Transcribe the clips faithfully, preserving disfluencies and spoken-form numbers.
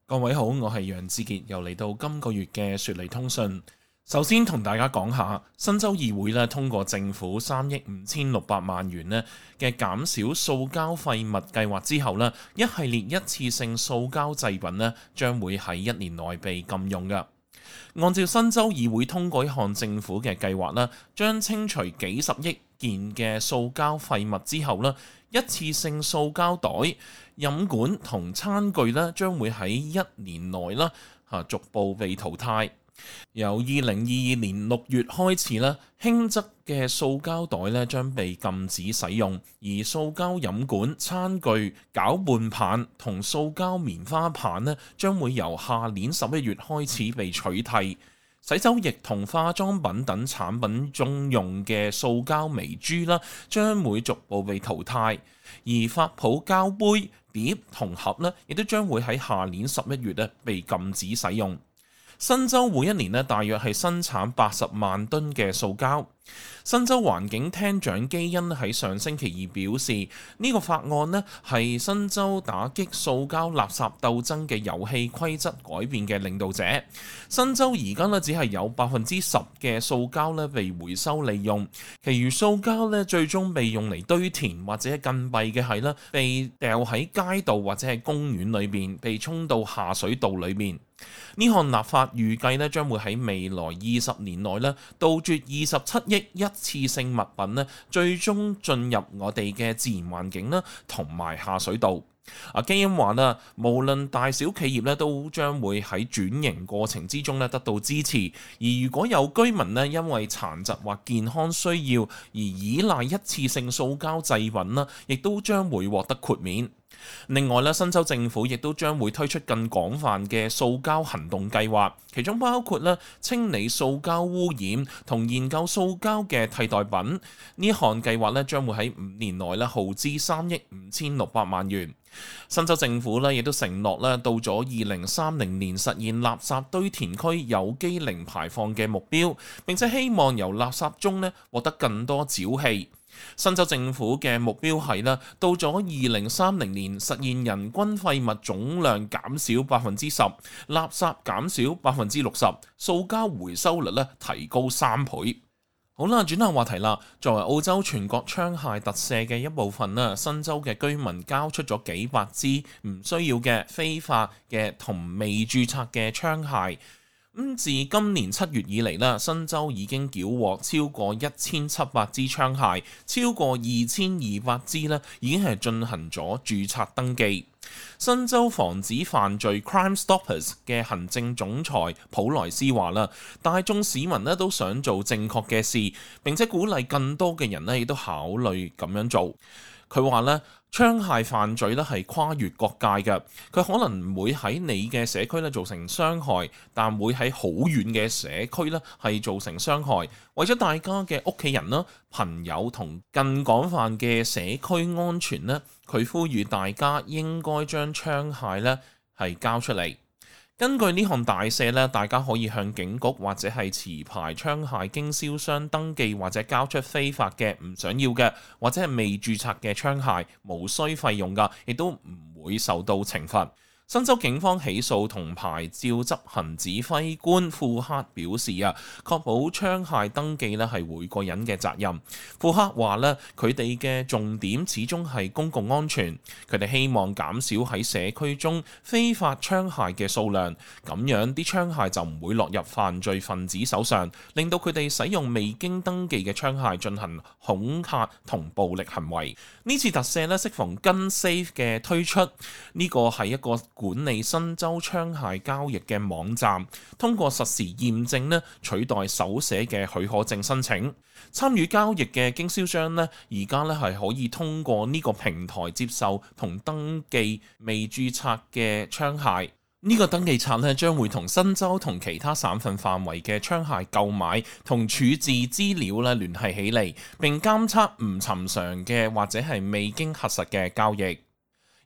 各位好，我係楊志傑，又嚟到今個月嘅雪梨通訊。首先同大家講下，新州議會咧通過政府三億五千六百萬元咧嘅減少塑膠廢物計劃之後咧，一系列一次性塑膠製品咧將會喺一年內被禁用嘅。按照新州議會通過一項政府嘅計劃咧，將清除幾十億件嘅塑膠廢物之後咧，一次性塑膠袋、飲管同餐具咧將會喺一年內啦嚇逐步被淘汰。由二零二二年六月開始咧，輕質嘅塑膠袋咧將被禁止使用，而塑膠飲管、餐具、攪拌棒同塑膠棉花棒咧將會由下年十一月開始被取締。洗手液同化妝品等產品中用嘅塑膠微珠啦，將會逐步被淘汰，而發泡膠杯、碟同盒咧，亦都將會喺下年十一月咧被禁止使用。新州每一年咧，大約係生產八十萬噸嘅塑膠。新州環境廳長基恩喺上星期二表示，呢、這個法案咧係新州打擊塑膠垃圾鬥爭嘅遊戲規則改變嘅領導者。新州而家咧只係有百分之十嘅塑膠咧被回收利用，其餘塑膠咧最終被用嚟堆填，或者更弊嘅係咧被掉喺街道或者係公園裏邊，被沖到下水道裏面。呢項立法預計咧將會喺未來二十年內咧杜絕二十七億一次性物品咧最終進入我哋嘅自然環境啦，同埋下水道。阿基恩話啦，無論大小企業咧都將會喺轉型過程之中咧得到支持，而如果有居民咧因為殘疾或健康需要而依賴一次性塑膠製品啦，亦都將會獲得豁免。另外咧，新州政府亦都將會推出更廣泛嘅塑膠行動計劃，其中包括咧清理塑膠污染同研究塑膠嘅替代品。呢項計劃咧將會喺五年內咧耗資三億五千六百萬元。新州政府咧亦都承諾咧到咗二零三零年實現垃圾堆填區有機零排放嘅目標，並且希望由垃圾中咧獲得更多沼氣。新州政府嘅目標係啦，到咗二零三零年實現人均廢物總量減少百分之十，垃圾減少百分之六十，塑膠回收率咧提高三倍。好啦，轉下話題啦。作為澳洲全國槍械特赦嘅一部分啦，新州嘅居民交出咗幾百支唔需要嘅非法嘅同未註冊嘅槍械。咁自今年七月以嚟啦，新州已經繳獲超過一千七百支槍械，超過二千二百支呢已經係進行咗註冊登記。新州防止犯罪 Crime Stoppers 嘅行政總裁普萊斯話啦，大眾市民呢都想做正確嘅事，並且鼓勵更多嘅人呢亦都考慮咁樣做。佢話咧，槍械犯罪咧係跨越國界嘅，佢可能唔會喺你嘅社區咧造成傷害，但會喺好遠嘅社區咧係造成傷害。為咗大家嘅屋企人啦、朋友同更廣泛嘅社區安全咧，佢呼籲大家應該將槍械咧係交出嚟。根據呢項大赦咧，大家可以向警局或者係持牌槍械經銷商登記或者交出非法嘅唔想要嘅或者係未註冊嘅槍械，無需費用㗎，亦都唔會受到懲罰。新州警方起訴同牌照執行指揮官庫克表示啊，確保槍械登記咧係每個人嘅責任。庫克話咧，佢哋嘅重點始終係公共安全，佢哋希望減少喺社區中非法槍械嘅數量，咁樣啲槍械就唔會落入犯罪分子手上，令到佢哋使用未經登記嘅槍械進行恐嚇同暴力行為。呢次特赦咧適逢 Gun Safe 嘅推出，呢個係一個管理新州槍械交易嘅網站，通過實時驗證咧取代手寫嘅許可證申請。參與交易嘅經銷商咧，而家咧係可以通過呢個平台接受同登記未註冊嘅槍械。呢個登記冊咧將會同新州同其他省份範圍嘅槍械購買同處置資料咧聯繫起嚟，並監測唔尋常嘅或者係未經核實嘅交易。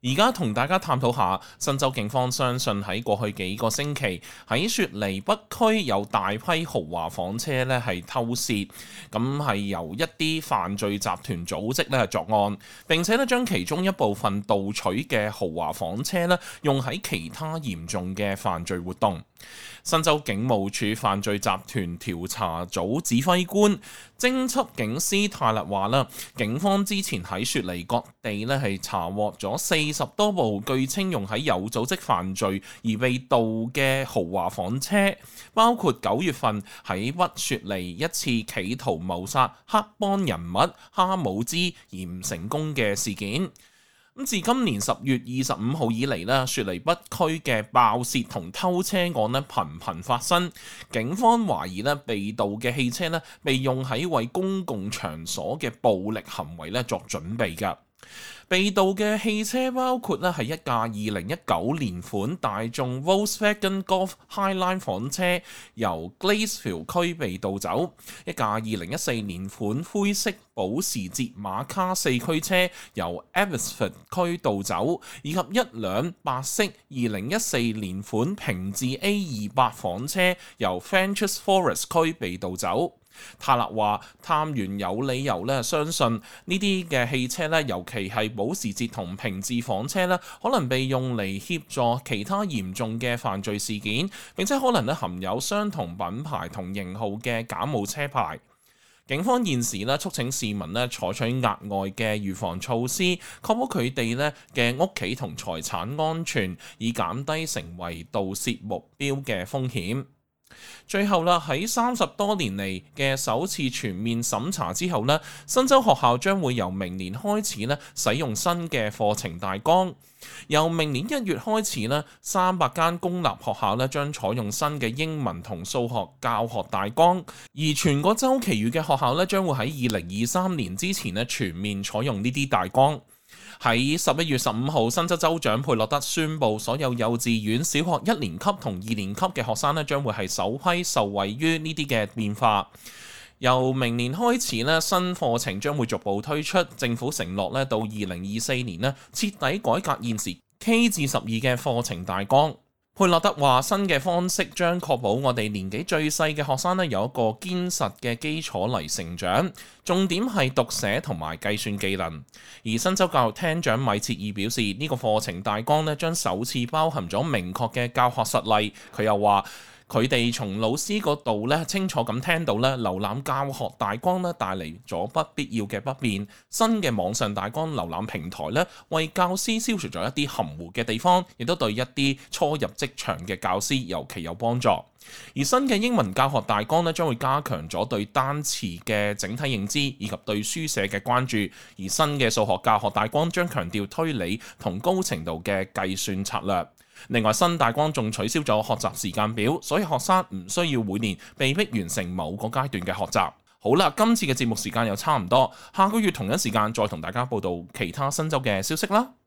而家同大家探討下，新州警方相信喺過去幾個星期喺雪梨北區有大批豪華房車咧係偷竊，咁係由一啲犯罪集團組織咧作案，並且咧將其中一部分盜取嘅豪華房車咧用喺其他嚴重嘅犯罪活動。新州警務處犯罪集團調查組指揮官偵緝警司泰勒話啦，警方之前喺雪梨各地咧係查獲咗四十多部據稱用喺有組織犯罪而被盜嘅豪華房車，包括九月份喺北雪梨一次企圖謀殺黑幫人物哈姆茲而唔成功嘅事件。咁自今年十月二十五號以嚟咧，雪梨北區嘅爆竊同偷車案咧頻頻發生，警方懷疑咧被盜嘅汽車咧被用喺為公共場所嘅暴力行為咧作準備㗎。被盜嘅汽車包括咧係一架二零一九年款大眾 Volkswagen Golf Highline 房車由 Glacefield 區被盜走，一架二零一四年款灰色保時捷馬卡四驅車由 Abbotsford 區盜走，以及一輛白色二零一四年款平治 A 二百房車由 Fenchurch Forest 區被盜走。泰勒話：探員有理由咧相信呢啲嘅汽車咧，尤其係保時捷同平治房車咧，可能被用嚟協助其他嚴重嘅犯罪事件，並且可能咧含有相同品牌同型號嘅假冒車牌。警方現時咧促請市民咧採取額外嘅預防措施，確保佢哋咧嘅屋企同財產安全，以減低成為盜竊目標嘅風險。最後啦，喺三十多年嚟嘅首次全面審查之後呢，新州學校將會由明年開始咧使用新嘅課程大綱。由明年一月開始呢，三百間公立學校咧將採用新嘅英文同數學教學大綱，而全個州其餘嘅學校咧將會喺二零二三年之前咧全面採用呢啲大綱。喺十一月十五號，新州州長佩洛德宣布，所有幼稚園、小學一年級同二年級嘅學生咧，將會係首批受惠於呢啲嘅變化。由明年開始咧，新課程將會逐步推出。政府承諾咧，到二零二四年咧，徹底改革現時 K 至十二嘅課程大綱。佩洛德話：新嘅方式將確保我哋年紀最細嘅學生咧有一個堅實嘅基礎嚟成長，重點係讀寫同埋計算技能。而新州教育廳長米切爾表示，呢、這個課程大綱咧將首次包含咗明確嘅教學實例。佢又話：佢哋從老師嗰度咧清楚咁聽到咧，瀏覽教學大綱咧帶嚟咗不必要嘅不便。新嘅網上大綱瀏覽平台咧，為教師消除咗一啲含糊嘅地方，亦都對一啲初入職場嘅教師尤其有幫助。而新嘅英文教學大綱咧，將會加強咗對單詞嘅整體認知以及對書寫嘅關注。而新嘅數學教學大綱將強調推理同高程度嘅計算策略。另外，新大綱仲取消咗學習時間表，所以學生唔需要每年被迫完成某個階段嘅學習。好啦，今次嘅節目時間又差唔多，下個月同一時間再同大家報道其他新州嘅消息啦。